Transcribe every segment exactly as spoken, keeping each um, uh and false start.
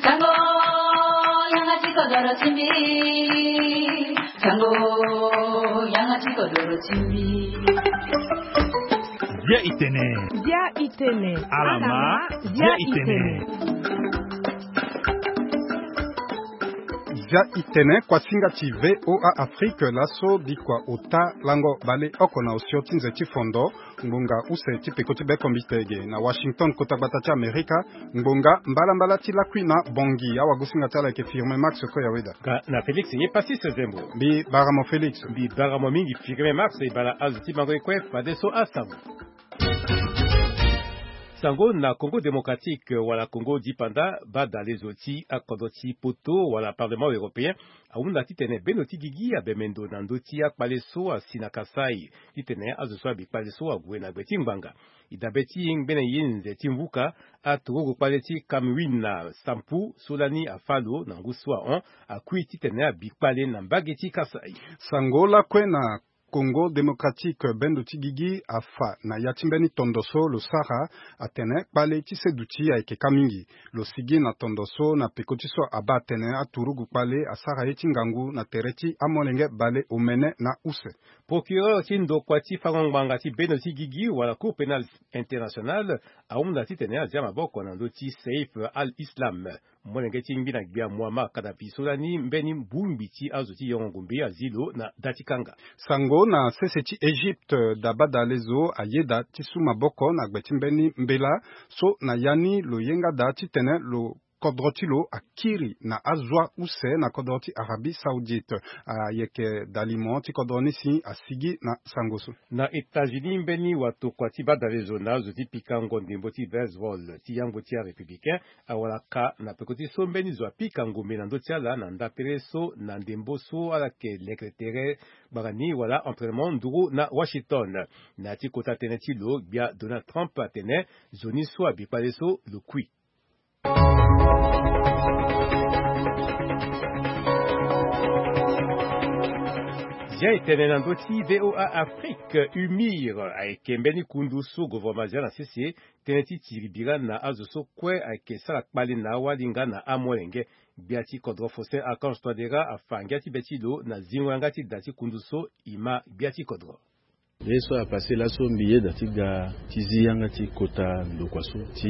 Sango, yanga ti kodoro ti mbi. Sango, yanga ti kodoro ti mbi. Bia itene. Bia itene. Alama. Bia itene. Bia itene, kuasinga ti V O A Afrique, laso bikua ota lango bale oko na osio ti nze ti fondo, ngbonga use ti peko ti bekombite ge na Washington, kota gbata ti Amerika. Ngbonga mbalambala ti lakui na Bongi, awagosinga ti ala ayeke Firmin Max Koyaweda. Nga na Félix ye Passis Zembo. Mbi bara mo Félix. Mbi bara mo mingi Firmin Max, e bara azo ti mango ye kue fadeso asango. Sango na Congo Démocratique wala Congo Dipanda, badalezo ti akodro ti poto wala Parlement Européen ahunda titene bendo ti gigi abemendo na ndö ti akpale so asi na Kasaï, titene azo so abi kpale so ague na gbe ti ngbanga. E dabe ti ngbene ye nze ti mvuka, aturugu kpale ti Kamwina Sampu so lani afâ lo na ngu so ahon, akui titene abi kpale na mbage ti Kasaï. Sango lakue na Congo Démocratique, bendo ti gigi afa na ya ti mbeni tondo so lo sara, atene kpale ti seduti ayeke ka mingi. Lo sigi na tondo so na peko ti so abaa atene aturugu kpale asara ye ti ngangu na tere ti amolenge bale omene na use. Procureur ti ndokua ti fango ngbanga ti bendo ti gigi wala Cour pénale internationale ahunda titene azia maboko na ndö ti Saif al-Islam, molenge ti ngbina gbia Muammar Kadhafi so lani mbeni bongbi ti azo ti yongo ngombe azi lo na da ti kanga. Sango na sese ti Égypte, da badalezo ayeda ti su maboko na gbe ti mbeni mbela so na ya ni lo yenga da titene lo kodro ti lo akiri na azua use na kodro ti Arabie Saoudite. Ayeke dalimo ti kodro ni si asigi na sango so. Na États-Unis, mbeni watokua ti badalezo na azo ti pikango ndembo ti baseball ti yango ti arépublicain awara ka na peko ti so mbeni zo apika ngombe na ndö ti ala na ndapere so na ndembo so ala yeke lekere tere gbanga ni wala entraînement nduru na Washington. Na ya ti kota tënë ti lo, gbia Donald Trump atene zo ni so abi kpale so lo kui. Zia e tene na ndö ti V O A Afrique, UMIR ayeke mbeni kundu so gouvernement azia na sese tënë ti tiri bira na azo so kue ayeke sara kpale na awali nga na amolenge. Gbia ti kodro Faustin Archange Touadéra afa ngia ti be ti lo na zingo yanga ti da ti kundu so, e ma gbia ti kodro. Ye so apasse laso mbi yeda ti ga ti zi yanga ti kota ndokua so ti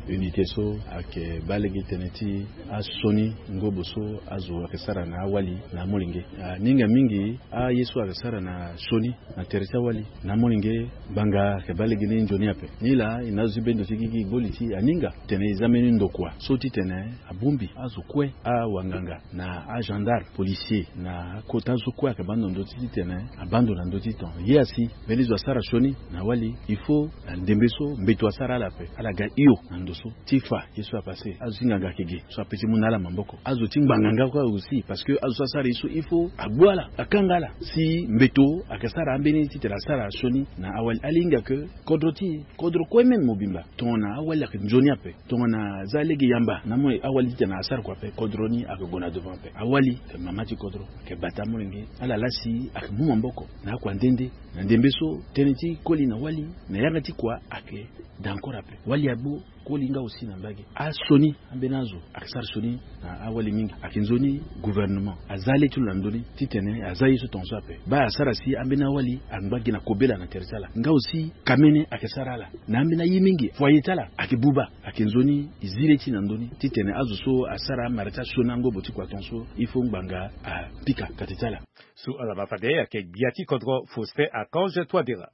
unité so ayeke baa lege tënë ti asioni ngobo so azo ayeke sara na awali na amolenge. Aninga mingi aye so ayeke sara na sioni na tere ti awali na amolenge, ngbanga ayeke baa lege ni nzoni ape. Nilaa e na azo ti bendo ti gigi e gbo li ti aninga tene e za mbeni ndokua so titene abongbi azo kue, awanganga na agendarme, policier na akota so kue ayeke baa ndo na ndö ti titene abaa ndo na ndö ti ton. Ye asi mbeni zo asara sioni na awali, il faut na ndembe so mbeto asara ala ape, ala ga hio na ndo so ti fa ye so apasse. Azo ti nganga ayeke ge so ape ti mu na ala maboko. Azo ti ngbanga nga kue aussi, parce que azo so asara ye so il faut agbu ala, akanga ala. Si mbeto ayeke sara ambeni titene asara sioni na awali, ala hinga ke kodro ti kodro kue même mobimba tongana awali ayeke nzoni ape. Tongana aza lege yamba na amolenge, awali titene asara kua ape, kodro ni ayeke gue na devant ape. Awali ayeke mama ti kodro, ayeke bata amolenge. Ala laa si ayeke mu maboko na akua nde nde na ndembe so tënë ti koli na wali na yanga ti kua ayeke da encore ape. Wali agbu koli nga aussi na mbage. Asioni ambeni azo ayeke sara sioni na awali mingi. Ayeke nzoni gouvernement aza le ti lo na ndö ni titene aza ye so tongaso ape. Baa asara si ambeni awali angba gi na kobela na tere ti ala. Nga aussi kamene ayeke sara ala na ambeni aye mingi. Foyer ti ala ayeke buba. Ayeke nzoni e zi le ti na ndö ni titene azo so asara amara ti asioni angobo ti kua tongaso, il faut ngbanga apika kate ti ala. So ala ma fade ayeke gbia ti kodro Faustin Archange Touadéra.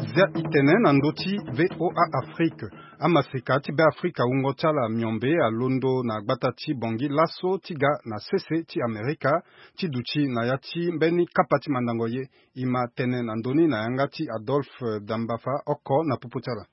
Zia e tene na ndö ti V O A Afrique. Amaseka ti Beafrika wungo ti ala miombe alondo na gbata ti Bangui laso ti ga na sese ti Amerika ti duti na ya ti mbeni kapa ti mandango ye. E ma tene na ndö ni na yanga ti Adolphe Dambafa oko na popo ti ala.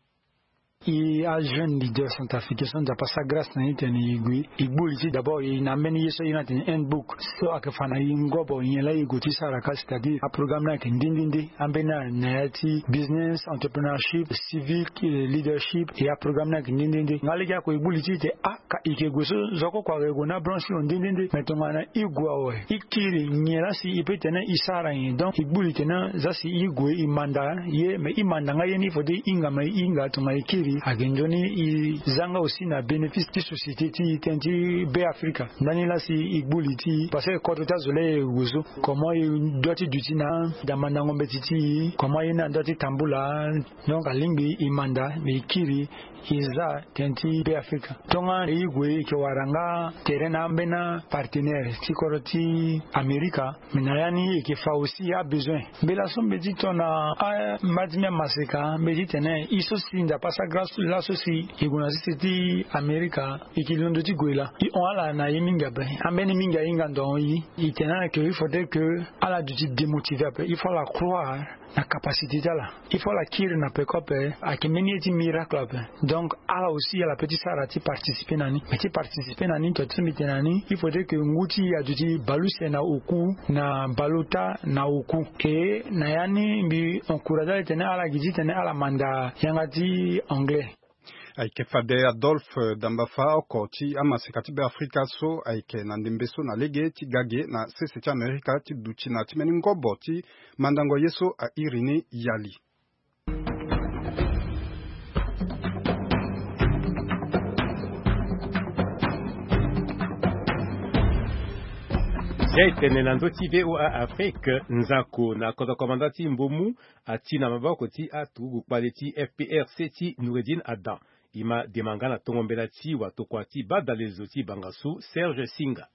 E ajeune leader centrafricain so Nzapa asara grâce na e titene e gue, e gbu li ti d'abord e na ambeni ye so e iri ni atene handbook so ayeke fa na e ngobo nyen laa e gue ti sara ka, c'est-à-dire aprogramme ni ayeke nde nde nde. Ambeni na ya ti business, entrepreneurship, civic leadership, e aprogramme ni ayeke nde nde nde. Nga lege ako e gbu li ti e tene ah, ka e yeke gue so zo kue kue ayeke gue na branche ti lo nde nde nde. Mais tongana e gue awe, e kiri nyen laa si e peut tene e sara nyen? Donc e gbu li tene zia si e gue e manda ye, mais e manda nga ye ni il faut ti e hinga, mais e hinga tongana e kiri ayeke nzoni e za nga aussi na bénéfice ti société ti e, tënë ti Be Afrika. Ndani laa si e gbu li ti e parce que kodro ti azo laa e gue so, comment e doit ti duti na da mandango mbeti ti e, comment ye ni adoit ti tambula. Donc alingbi e manda, mais e kiri e za tënë ti Be Afrika. Tongana e gue e yeke wara nga tere na ambeni apartenaire ti kodro ti Amerika. Mais na ya ni e yeke fa aussi abesoin. Mbela so mbi ye ti tona a, mba ti mbi amaseka mbi ye ti tene e so si Nzapa asara grâce laso si e gue na sese ti Amerika, e yeke londo ti gue laa. E hon ala na e mingi ape. Ambeni mingi ahinga ndo ahon e. E tene ala ke il faudrait que ala duti démotivé ape. Il faut ala croire na capacité ti ala. Il faut ala kiri na peko ape. Ayeke mbeni ye ti miracle ape. Donc ala aussi ala peut ti sara ti participer na ni. Mais ti participer na ni, to ti mbi tene na ni, il faudrait que ngu ti e aduti baleuse na oku, na baleota na oku. E na ya ni mbi encourage ala titene ala gi titene ala manda yanga ti anglais. Ayeke fade Adolphe Dambafa oko ti amaseka ti Be Afrika so ayeke na ndembe so na lege ti ga ge na sese ti Amerika ti duti na ti mbeni ngobo ti mandango ye so a iri ni yali. Zia e tene na ndö ti V O A Afrique, nzako na kodro komanda ti Mbomu ati na maboko ti aturugu kpale ti F P R C ti Noureddine Adam. E ma dema nga na tongo mbela ti watokua ti badalezo ti bangasu Serge Singa.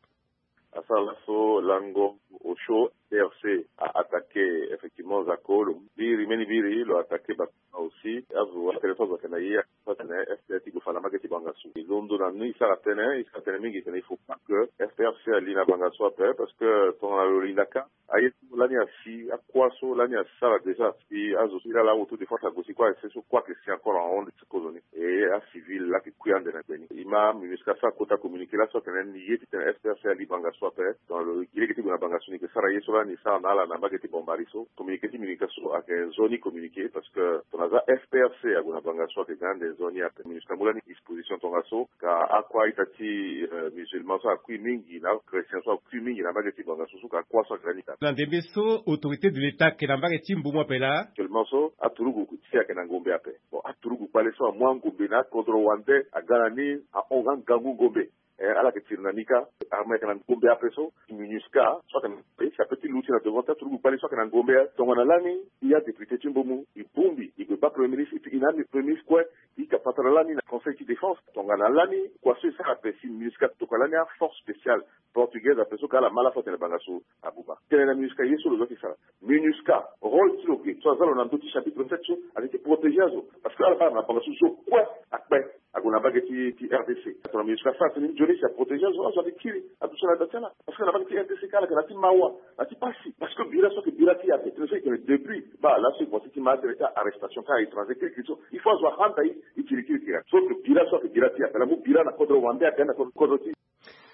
Asara laso lango osio F P R C a attaqué effectivement nzako lo. Biri mbeni biri lo attaqué bato aussi. Azo atene so azo ayeke na ye, so atene F P R C ti gue fa na mbage ti bangasu. E londo na ni, e sara tënë, e sara tënë mingi tene il faut pas que F P R C ali na bangasu ape, parce que tongana lo linda ka, aye so lani asi, akua so lani asara déjà, si azo so e laa la auto de force ague si kue, aye so kue ayeke si encore en ronde ti kozoni. E acivil laa ayeke kui ande na gbe ni. E ma MINUSCA asara kota communiqué laso atene ni ye titene F P R C ali bangasu ape. Donc lo gi lege ti gue na bangasu, ni yeke sara ye so lani e sara na ala na mbage ti Bombari so. Communiqué ti MINUSCA so ayeke nzoni communiqué, parce que tongana za F P R C ague na bangasu ayeke ga ande nzoni ape. MINUSCA amu lani disposition tongaso, ka akua ita ti, euh, musulman so akui mingi na achrétien so akui mingi na mbage ti bangasu so, ka akua so ayeke ga ni ka. Na ndembe so autorité de l'État ayeke na mbage ti Mbomu ape laa. Actuellement so aturugu ti e ayeke na ngombe ape. Bon, aturugu kpale so amu angombe na akodro wande aga na ni, ahon nga ngangu ngombe. Eh, ala yeke tiri na ni ka. Armée ayeke na ngombe ape so. MINUSCA so ayeke na, eh, si ape ti luti na devant ti aturugu kpale so ayeke na ngombe. Tongana lani e adéputé ti Mbomu, e bongbi e gue baa premier ministre, e tene na Premier ministre kue, e yeke patara lani na conseil ti défense. Tongana lani kua so e sara ape, si MINUSCA atokua lani aforce spéciale portugaise ape so, ka ala ma ala so atene bangasu abuba. Tene na MINUSCA ye so lo doit ti sara. MINUSCA, rôle ti lo ge so aza lo na ndö ti chapitre sept so, ayeke ti protéger azo. Parce que ala baa na bangasu so kue akpe ague na mbage ti, ti R D C. Tongana MINUSCA asara tënë nzoni si aprotéger azo, azo ayeke kiri aduti na da ti ala. Parce que na mbage ti R D C ka ala yeke na ti mawa, na ti pasi. Parce que bira so ayeke bira ti e ape. Tënë so e tene depuis baa laso e voici ti ma tere ti arrestation ka étranger kirikiri so. Il faut azo ahanda e, e kirikiri kiri. So ayeke bira so ayeke bira ti e ape. Ala mu bira na kodro wande aga na kodro ti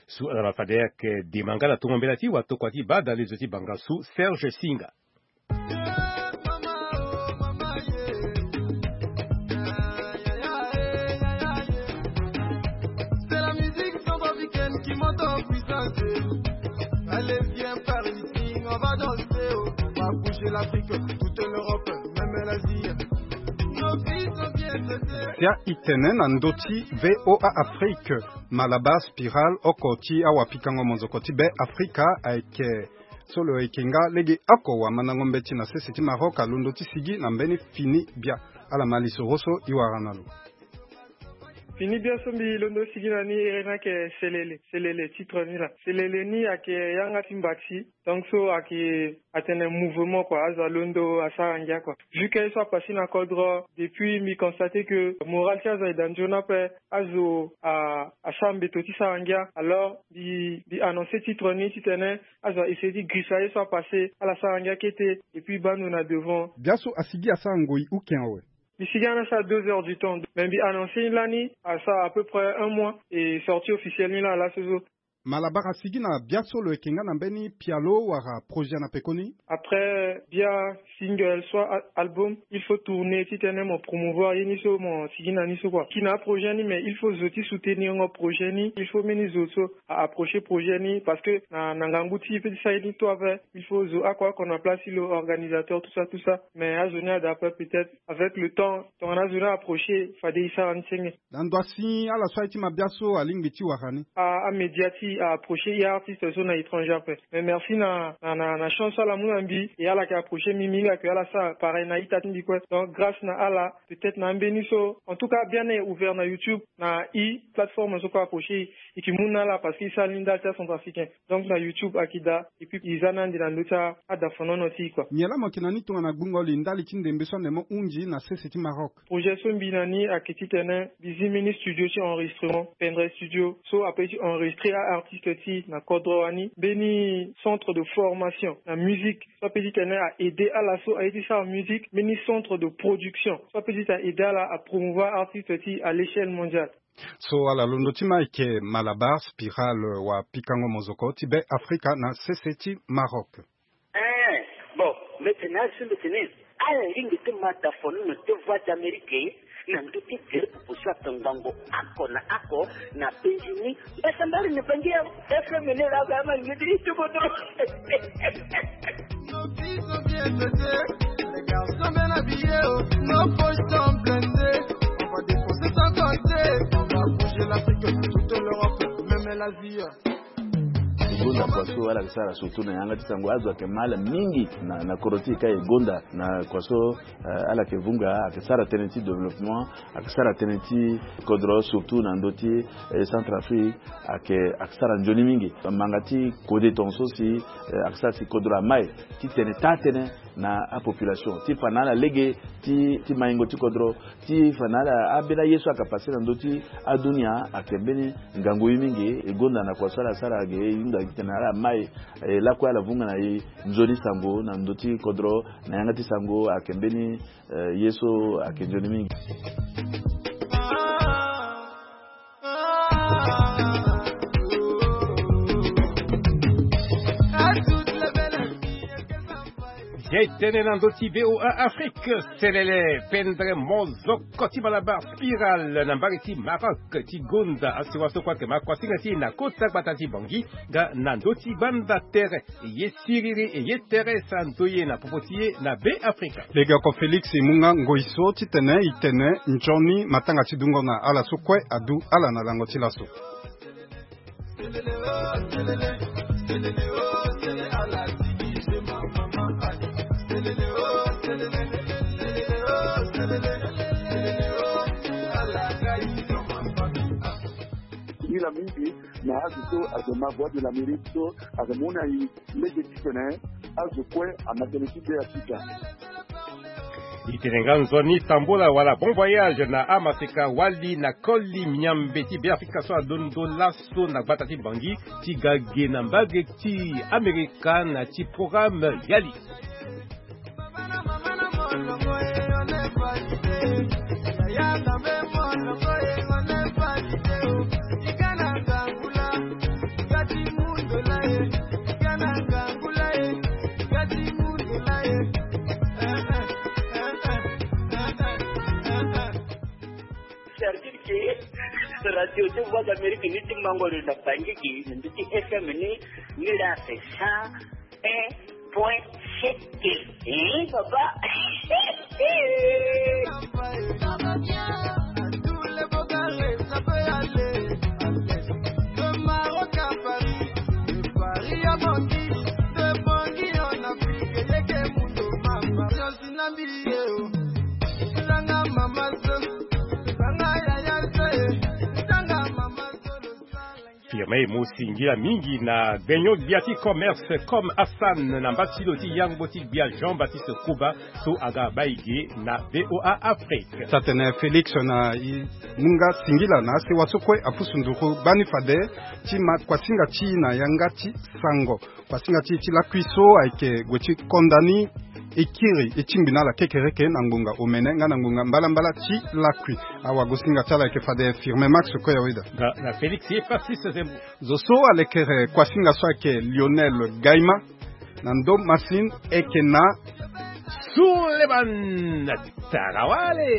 So ala fade ayeke dema nga na tongo mbela ti watokua ti badalezo ti bangasu Serge Singa. C'est la musique centrafricaine qui monte en puissance. Allez, viens par ici, on va danser, on va bouger l'Afrique, toute l'Europe, même l'Asie. Nos filles sont bien traitées. Sia itene na ndö ti V O A Afrique. Malabar Spiral oko ti awapikango monzoko ti Be Afrika ayeke so lo yeke nga lege oko wamandango mbeti na sese ti Maroc alondo ti sigi na mbeni fini bia. Ala ma lisoro so e wara na lo. Fini bia so mbi londo ti sigi na ni ere ni ayeke Selele. Selele, titre ni laa. Selele ni ayeke yanga ti mbati. Donc so ayeke atene mouvement kua, azo alondo asara ngia kua. Vu que ye so apasé na kodro, depuis mbi constate que moral ti azo ayeke da nzoni ape, azo a, asara mbeto ti sara ngia. Alors mbi, mbi annoncer titre ni titene azo a essayer ti girisa ye so apasé, ala sara ngia kete, et puis baa ndo na devant. Bia so asigi asara ngoi uken awe. Mbi sigi ana sa deux heures du temps. Mais mbi annoncer ni lani, a sa à peu près un mois, et sortie officielle ni la, la, ce jour. Malabar asigi na bia so lo yeke nga na mbeni pialo wala projet na pekoni? Après bia single, soit a-, album, il faut tourner, ti tene mo promouvoir ye ni so mo sigi na ni so, quoi. Ki na projet ni, mais il faut zo ti soutenir ngo projet ni, il faut mbeni zo so a approcher projet ni, parce que na, na ngangu ti e pe ti sa ye ni to ape, il faut zo oko oko na place ti lo, organisateur, tout ça, tout ça. Mais azo ni ada ape, peut-être avec le temps, tongana azo ni approcher, fade e sara ni senge. Na ndo asi ala so aye ti mabia so alingbi ti wara ni. A, amédia ti e approcher e artiste so na étranger ape. Mais merci na, na, na, na chance so ala mu na mbi, e ala yeke approcher mbi, mbi hinga ke ala sara pareil na ita ti mbi kue. Donc grâce na ala, peut-être na ambeni so, en tout cas, bien est ouvert na YouTube, na e plateforme so kue approcher e, e yeke mu na ala parce que e sara ni ndali ti acentrafricain. Donc na YouTube ayeke daa, et puis e za ni ande na ndö ti a, adafanono ti e, quoi. Nyen laa mo yeke na ni tongana gbungo li ndali ti ndembe so ande mo hunzi na sese ti Maroc? Projet so mbi na ni ayeke titene mbi zi mbeni studio ti enregistrement, Pendrey Studio, so apeut ti enregistrer a-artiste ti e na kodro wani. Mbeni centre de formation na musique, so apeut titene a aider ala so aye ti sara musique. Mbeni centre de production, so apeut titene a aider ala a promouvoir artiste ti e à l'échelle mondiale. So ala londo ti ma ayeke Malabar Spiral, wa pikango mozoko ti Be Afrika na sese ti Maroc. Eh, bon, mbi tene azo mbi tene ala lingbi ti ma dafo nono ti Voix d'Amérique na ndö ti gere pupu so atongbango oko na oko na penzi ni. Mbi sambari ni bangi ya F M ni la ga ma ngidi ti bodo. Nos filles sont bien dotées, les garçons bien habillés, oh. Nos poches sont blindées, on va défoncer sans compter, on va bouger l'Afrique, toute l'Europe, même l'Asie. E gonda kua so ala yeke sara surtout na yanga ti sango, azo ayeke ma ala mingi na, na kodro ti e ka e gonda na kua so, eh, ala yeke vunga, ayeke sara tënë ti développement, ayeke sara tënë ti kodro, surtout na ndö ti, eh, Centrafrique, ayeke, ayeke sara nzoni mingi. Manga ti kode tongaso si, eh, ayeke sara si kodro amai titene taa tënë na apopulation, ti fa na ala lege ti, ti maingo ti kodro, ti fa na ala ambeni aye so ayeke pase na ndö ti adunia, ayeke mbeni ngangu ye mingi. E gonda na kua so ala sara ge, e hunda titene ala mai, e lakue ala vunga na e nzoni sango na ndö ti kodro, na yanga ti sango ayeke mbeni, eh, ye so ayeke nzoni mingi. Ye tënë na ndö ti V O A Afrique, selele, pendere mozoko ti Malabar Spiral na mbage ti Maroc ti gonda asewa so kue ayeke ma kuasinga ti e na kota gbata ti Bangui, nga na ndö ti gbanda tere. E ye siriri, e ye tere, sa ndoye na popo ti e na Be Afrika. Legeoko Félix e mu nga ngoi so titene e tene nzoni matanga ti dungo na ala so kue adu ala na lango ti laso. Ila mingi na azo so ayeke ma Voix de l'Amérique so ayeke mu na e lege titene azo kue ama tënë ti Be Afrika. E tene nga nzoni tambula wala bon voyage na amaseka wali na koli miambe ti Be Afrika so alondo laso na gbata ti Bangui ti ga ge na mbage ti Amerika na ti programme Yali. Certitude ke radio ti Voix d'Amérique ni ti mango lo na Bangui ke na ndö ti F M ni, ni la c'est cent un point sept. Hein, papa? Firme mo singila mingi na gbenyo gbia ti commerce comme Hassan na mba ti lo ti yango ti gbia Jean-Baptiste Kuba so aga bai ge na V O A Afrique. Sa tene Félix na i mu nga singila na asewa so kue apusu nduru gbani fade ti ma kuasinga ti i na yanga ti sango. Kuasinga ti i ti lakui so ayeke gue ti konda ni. e kiri e tingbi na ala kekereke na ngonga omene nga na ngonga mbalambala ti lakui. Awagosinga ti ala ayeke fade Firme Max Koyaweda. Na Félix ye Francis Zembo. Zo so alekere kuasinga so ayeke Lionel Gaima. Na ndo masine eke na Suleman Tarawale.